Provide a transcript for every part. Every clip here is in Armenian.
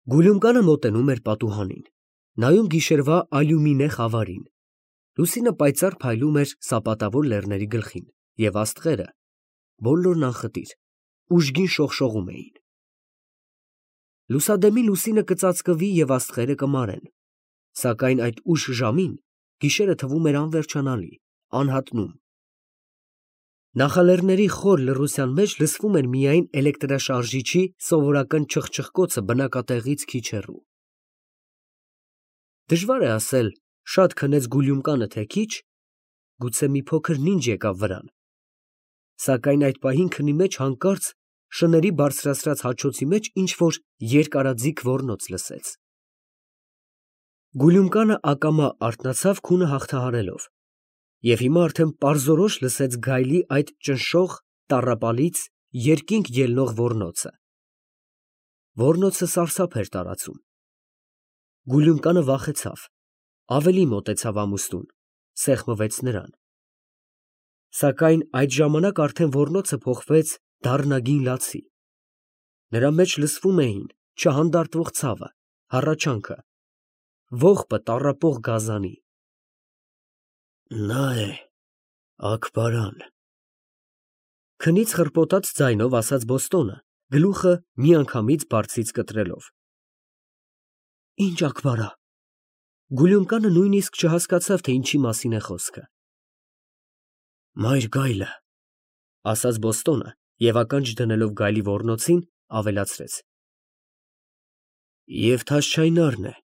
Գուլյումկանը մոտենում էր պատուհանին, նայում գիշերվա ալյումինե խավարին։ Լուսինը պայծառ փայլում էր սապատավոր լեռների գլխին, և աստղերը, բոլորն անխտիր, ուժգին շողշողում էին։ Լուսադեմի լուսինը կծածկվի և աստղերը կմարեն, սակայն այդ ուշ ժամին գիշերը թվում էր անվերջանալի, անհատնում։ Նախալեռների խոր լռության մեջ լսվում էր միայն էլեկտրաշարժիչի սովորական չխչխկոցը բնակատեղից քիչ հեռու։ Դժվար է ասել, շատ քնեց Գուլյումկանը, թե քիչ, գուցե մի փոքր նինջ եկավ վրան, սակայն այդ պահին քնի մեջ հանկարծ շների բարձրացրած հաչոցի մեջ ինչ-որ երկարաձիգ ոռնոց լսեց։ Գուլյումկանը ակամա արթնացավ քունը հաղթահարելով, և հիմա արդեն պարզորոշ լսեց գայլի այդ ճնշող, տառապալից, երկինք ելնող ոռնոցը։ Ոռնոցը սարսափ էր տարածում։ Գուլյումկանը վախեցավ, ավելի մոտեցավ ամուստուն, սեղմվեց նրան։ Սակայն այդ ժամանակ արդեն ոռնոցը փոխվեց դառնագին լացի։ Նրա մեջ լսվում էին չհանդարտվող ցավը, հառաչանքը, ողբը տառապող գազանի։ Նա է, Աքբարան, քնից խռպոտած ձայնով ասաց Բոստոնը, գլուխը միանգամից բարձից կտրելով։ Ինչ Աքբարա։ Գուլյումկանը նույնիսկ չհասկացավ, թե ինչի մասին է խոսքը։ Մայր գայլը, ասաց Բոստոնը և ականջ դնելով գայլի ոռնոցին, ավելացրեց. Եվ Թաշչայնարն է,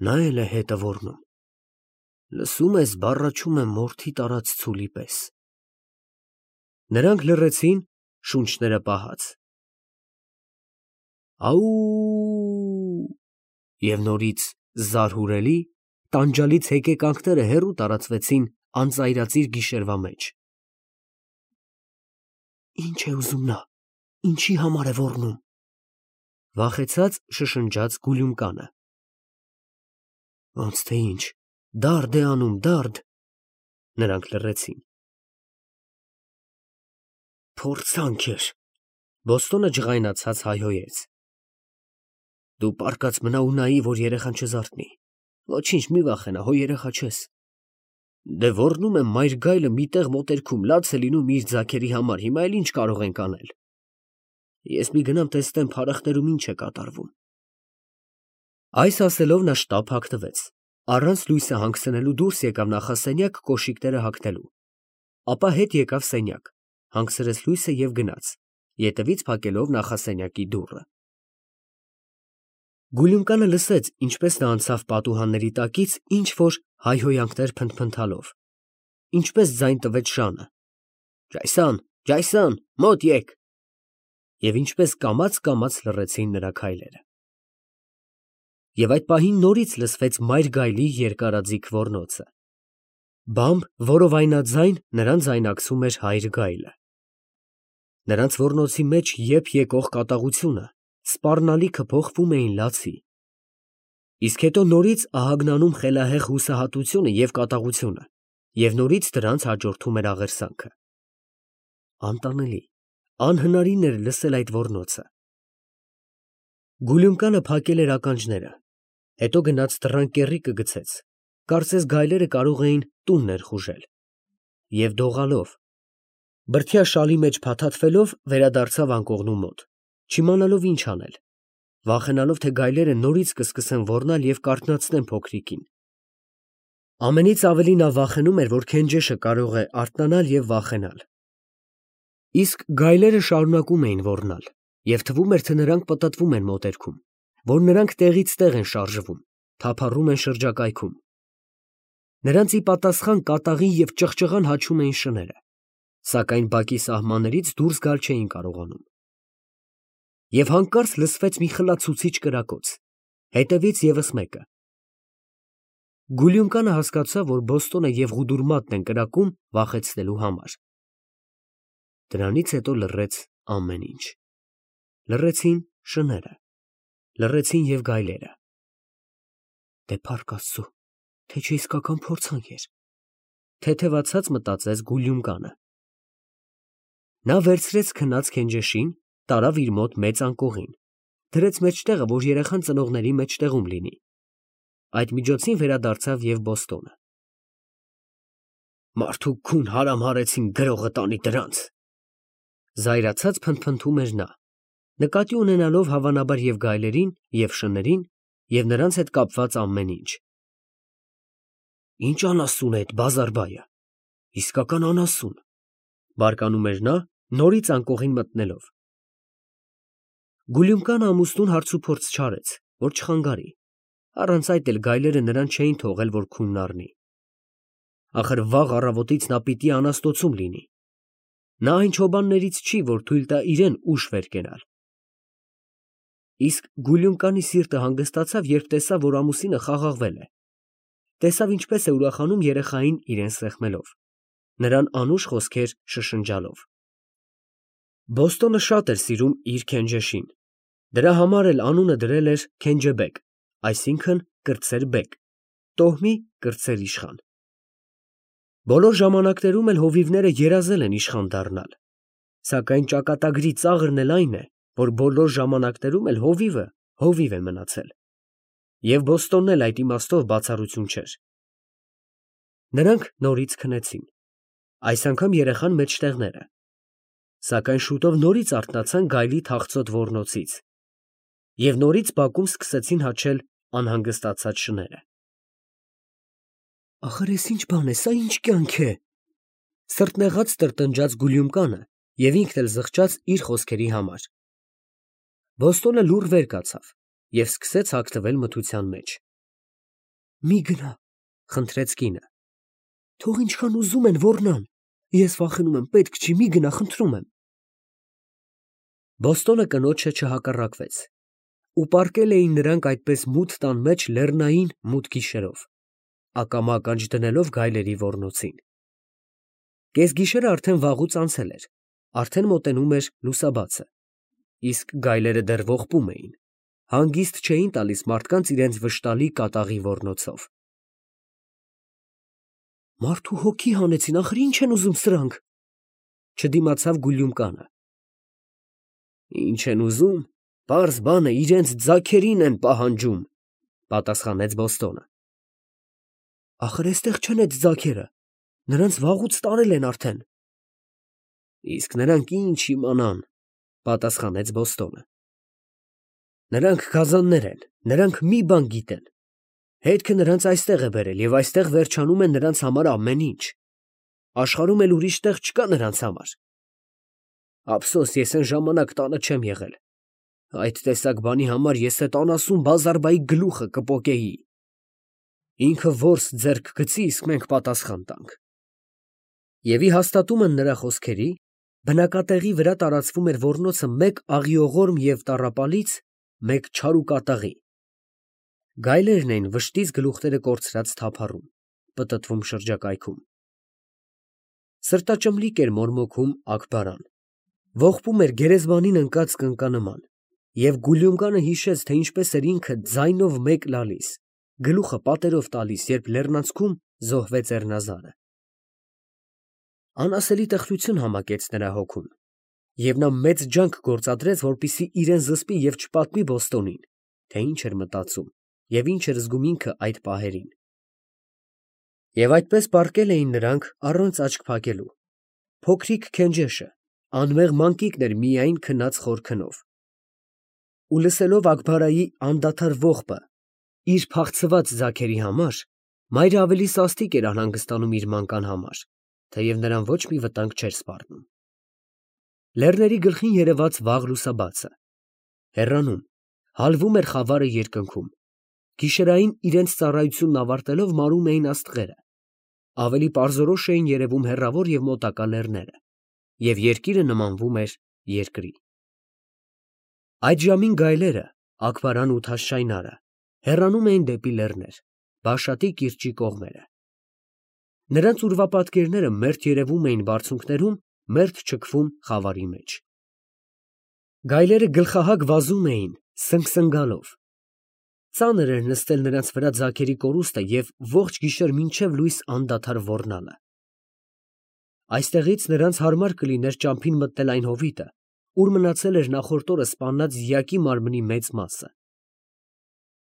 նա էլ է հետը ոռնում։ Լսում ես, բառաչում է մորթի տարած ցուլի պես։ Նրանք լռեցին, շունչները պահած։ Աուուուու, և նորից զարհուրելի, տանջալից հեկեկանքները հեռու տարածվեցին անծայրածիր գիշերվա մեջ։ Ինչ է ուզում նա, ինչի համար է ոռնում, վախեցած շշնջաց Գուլյումկանը։ Ոնց թե ինչ, դարդ է անում, դարդ։ Նրանք լռեցին։ Փորձանք էր, Բոստոնը ջղայնացած հայհոյեց։ Դու պառկած մնա ու նայի, որ երեխան չզարթնի։ Ոչինչ, մի վախենա, հո երեխա չես։ Դե ոռնում եմ, մայր գայլը մի տեղ մոտերքում լաց է լինում իր ձագերի համար, հիմա էլ ինչ կարող ենք անել։ Ես մի գնամ տեսնեմ փարախներում ինչ է կատարվում։ Այս ասելով նա շտապ հագնվեց, առանց լույսը հանգցնելու դուրս եկավ նախասենյակ կոշիկները հագնելու, ապա հետ եկավ սենյակ, հանգցրեց լույսը և գնաց, ետևից փակելով նախասենյակի դուռը։ Գուլյումկանը լսեց, ինչպես նա անցավ պատուհանների տակից ինչ-որ հայհոյանքներ փնթփնթալով, ինչպես ձայն տվեց շանը. Ջայսան, Ջայսան, մոտ եկ, և ինչպես կամաց լռեցին նրա քայլերը։ Եվ այդ պահին նորից լսվեց մայր գայլի երկարաձիգ ոռնոցը։ Բամբ որովայնաձայն նրան ձայնակցում էր հայր գայլը։ Նրանց ոռնոցի մեջ եփ եկող կատաղությունը, սպառնալիքը փոխվում էին լացի։ Իսկ հետո նորից ահագնանում խելահեղ հուսահատությունը և կատաղությունը, և նորից դրանց հաջորդում էր աղերսանքը։ Անտանելի, անհնարին էր լսել այդ ոռնոցը։ Գուլյումկանը փակել էր ականջները, հետո գնաց դռան կեռիկը գցեց, կարծես գայլերը կարող էին տուն ներխուժել, և դողալով, բրդյա շալի մեջ փաթաթվելով վերադարձավ անկողնու մոտ, չիմանալով ինչ անել, վախենալով, թե գայլերը նորից կսկսեն ոռնալ և կարթնացնեն փոքրիկին։ Ամենից ավելի նա վախենում էր, որ Քենջեշը կարող է արթնանալ և վախենալ։ Իսկ գայլերը շարունակում էին ոռնալ, և թվում էր, թե նրանք պտտվում են մոտերքում, որ նրանք տեղից տեղ են շարժվում, թափառում են շրջակայքում։ Նրանց ի պատասխան կատաղի և ճղճղան հաչում էին շները, սակայն բակի սահմաններից դուրս գալ չէին կարողանում։ Եվ հանկարծ լսվեց մի խլացուցիչ կրակոց, հետևից ևս մեկը։ Գուլյումկանը հասկացավ, որ Բոստոնը և Ղուդուրմատն են կրակում վախեցնելու համար։ Դրանից հետո լռեց ամեն ինչ։ Լռեցին շները, լռեցին և գայլերը։ Դե փառք Աստծու, թե չէ իսկական փորձանք էր, թեթևացած մտածեց Գուլյումկանը։ Նա վերցրեց քնած Քենջեշին, տարավ իր մոտ մեծ անկողին, դրեց մեջտեղը, որ երեխան ծնողների մեջտեղում լինի։ Այդ միջոցին վերադարձավ և Բոստոնը։ Մարդու քուն հարամարեցին գրողը տանի դրանց։ Զայրացած փնթփնթում էր նա, նկատի ունենալով հավանաբար և գայլերին, և շներին, և նրանց հետ կապված ամեն ինչ։ Ինչ անասուն է այդ բազարբայը, իսկական անասուն, բարկանում էր նա, նորից անկողին մտնելով։ Գուլյումկան ամուսնուն հարցուփորձ չարեց, որ չխանգարի, առանց այդ էլ գայլերը նրան չէին թողել, որ քունն առնի։ Ախր վաղ առավոտից նա պիտի անաստոցում լինի։ Նա այն չոբաններից չի, որ թույլ տա իրեն ուշ վեր կենալ։ Իսկ Գուլյումկանի սիրտը հանգստացավ, երբ տեսավ, որ ամուսինը խաղաղվել է։ Տեսավ ինչպես է ուրախանում երեխային իրեն սեղմելով, նրան անուշ խոսքեր շշնջալով։ Բոստոնը շատ էր սիրում իր Քենջեշին, դրա համար էլ անունը դրել էր Քենջեբեկ, այսինքն կրտսեր բեկ, տոհմի կրտսեր իշխան։ Բոլոր ժամանակներում էլ հովիվները երազել են իշխան դառնալ, սակայն ճակատագրի ծաղրն էլ այն է, որ բոլոր ժամանակներում էլ հովիվը հովիվ է մնացել, և Բոստոնն էլ այդ իմաստով բացառություն չէր։ Նրանք նորից քնեցին, այս անգամ երեխան մեջտեղները, սակայն շուտով նորից արթնացան գայլի թախծոտ ոռնոցից, և նորից բակում սկսեցին հաչել անհանգստացած շները։ Ախր էս ինչ բան է, սա ինչ կյանք է, սրտնեղած տրտնջաց Գուլյումկանը և ինքն էլ զղջաց իր խոսքերի համար։ Բոստոնը լուռ վեր կացավ և սկսեց հագնվել մթության մեջ։ Մի գնա, խնդրեց կինը, թող ինչքան ուզում են ոռնան, ես վախենում եմ, պետք չի, մի գնա, խնդրում եմ։ Բոստոնը կնոջը չհակառակվեց, ու պառկել էին նրանք այդպես մութ տան մեջ լեռնային մութ գիշերով, ակամա ականջ դնելով գայլերի ոռնոցին։ Կեսգիշերը արդեն վաղուց անցել էր, արդեն մոտենում էր լուսաբացը, իսկ գայլերը դեռ ողբում էին, հանգիստ չէին տալիս մարդկանց իրենց վշտալի կատաղի ոռնոցով։ Մարդու հոգի հանեցին, ախր ինչ են ուզում սրանք, չդիմացավ Գուլյումկանը։ Ինչ են ուզում, պարզ բան է, իրենց ձագերին են պահանջում, պատասխանեց Բոստոնը։ Ախր էստեղ չեն այդ ձագերը, նրանց վաղուց տարել են արդեն։ Իսկ նրանք ինչ իմանան, պատասխանեց Բոստոնը։ Նրանք գազաններ են, նրանք մի բան գիտեն։ Հետքը նրանց այստեղ է բերել և այստեղ վերջանում է նրանց համար ամեն ինչ։ Աշխարհում էլ ուրիշ տեղ չկա նրանց համար։ Ափսոս, ես այն ժամանակ տանը չեմ եղել։ Այդ տեսակ բանի համար ես այդ անասուն բազարբայի գլուխը կպոկեի։ Ինքը որս ձեռք գցի, իսկ մենք պատասխան տանք։ Եվ ի հաստատումն նրա խոսքերի, բնակատեղի վրա տարածվում էր ոռնոցը մեկ աղիողորմ և տառապալից, մեկ չար ու կատաղի։ Գայլերն էին վշտից գլուխները կորցրած թափառում, պտտվում շրջակայքում։ Սրտաճմլիկ էր մորմոքում Աքբարան, ողբում էր գերեզմանին ընկած կնկանման, և Գուլյումկանը հիշեց, թե ինչպես էր ինքը ձայնով մեկ լալիս, գլուխը պատերով տալիս, երբ լեռնանցքում զոհվեց Էռնազարը։ Անասելի տխրություն համակեց նրա հոգում, և նա մեծ ջանք գործադրեց, որպեսզի իրեն զսպի և չպատմի Բոստոնին, թե ինչ էր մտածում և ինչ էր զգում ինքը այդ պահերին։ Եվ այդպես պառկել էին նրանք առանց աչք փակելու։ Փոքրիկ Քենջեշը անմեղ մանկիկն էր միայն քնած խոր քնով։ Ու լսելով Աքբարայի անդադար ողբը իր փախցված ձագերի համար, մայրը ավելի սաստիկ էր անհանգստանում իր մանկան համար, թեև նրան ոչ մի վտանգ չէր սպառնում։ Լեռների գլխին երևաց վաղ լուսաբացը։ Հեռանում, հալվում էր խավարը երկնքում։ Գիշերային իրենց ծառայությունն ավարտելով մարում էին աստղերը, ավելի պարզորոշ էին երևում հեռավոր և մոտակա լեռները, և երկիրը նմանվում էր երկրի։ Այդ ժամին գայլերը, Աքբարան ու Թաշշայնարը, հեռանում էին դեպի լեռներ, Բաշատի կիրճի կողմերը։ Նրանց ուրվապատկերները մերթ երևում էին բարձունքներում, մերթ չքվում խավարի մեջ։ Գայլերը գլխահակ վազում էին սնգսնգալով։ Ծանր էր նստել նրանց վրա ձագերի կորուստը և ողջ գիշեր մինչև լույս անդադար ոռնալը։ Այստեղից նրանց հարմար կլիներ ճամփին մտնել այն հովիտը, ուր մնացել էր նախորդ օրը սպանած դիակի մարմնի մեծ մասը։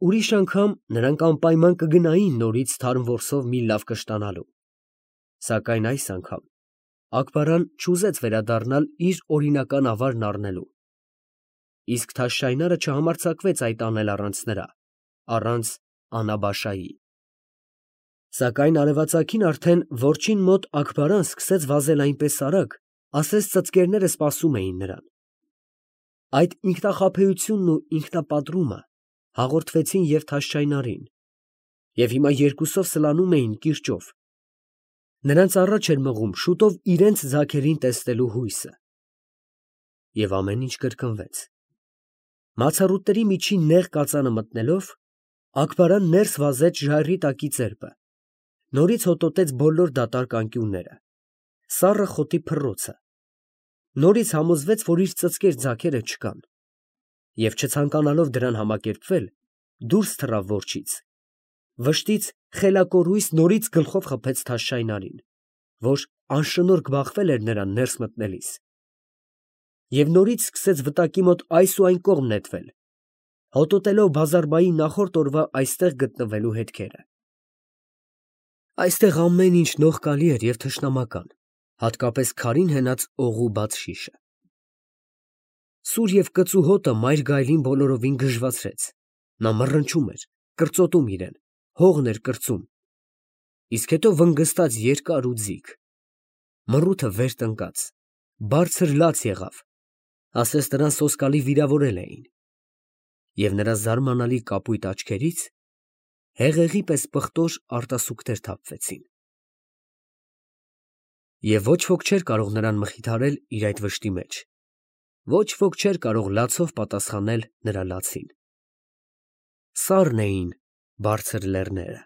Ուրիշ անգամ նրանք անպայման կգնային նորից թարմ որսով մի լավ կշտանալու։ Սակայն այս անգամ Աքբարան չուզեց վերադառնալ իր օրինական ավարն առնելու։ Իսկ Թաշշայնարը չհամարձակվեց այդ անել առանց նրա, առանց Անաբաշայի։ Սակայն արևածագին արդեն որջին մոտ Աքբարան սկսեց վազել այնպես արագ, ասես ծծկերները սպասում էին նրան։ Այդ ինքնախաբեությունն ու ինքնապատռումը հաղորդվեցին և Թաշշայնարին, և հիմա երկուսով սլանում էին կիրճով։ Նրանց առաջ էր մղում շուտով իրենց ձագերին տեսնելու հույսը։ Եվ ամեն ինչ կրկնվեց։ Մացառուտների միջին նեղ կածանը մտնելով, Աքբարան ներս վազեց ժայռի տակի ծերպը, նորից հոտոտեց բոլոր դատարկ անկյունները, սառը խոտի փռոցը, նորից համոզվեց, որ իր ծծկեր ձագերը չկան, և չցանկանալով դրան համակերպվել, դուրս թռավ որջից, վշտից խելակորույս նորից գլխով խփեց Թաշշայնարին, որ անշնորհք բախվել էր նրան ներս մտնելիս, և նորից սկսեց վտակի մոտ այս ու այն կողմ նետվել, հոտոտելով Բազարբայի նախորդ օրվա այստեղ գտնվելու հետքերը։ Այստեղ ամեն ինչ նողկալի էր և թշնամական, հատկապես քարին հենած օղու բաց շիշը։ Սուր և կծու հոտը մայր գայլին բոլորովին գժվացրեց, նա մռնչում էր, կրծոտում իրեն, հողն էր կրծում, իսկ հետո վնգստաց երկար ու ձիգ, մռութը վեր տնկաց, բարձր լաց եղավ, ասես նրան սոսկալի վիրավորել էին, և նրա զարմանալի կապույտ աչքերից հեղեղի պես պղտոր արտասուքներ թափվեցին։ Եվ ոչ ոք չէր կարող նրան մխիթարել իր այդ վշտի մեջ, ոչ ոք չէր կարող լացով պատասխանել նրա լացին։ Սառն էին բարձր լեռները։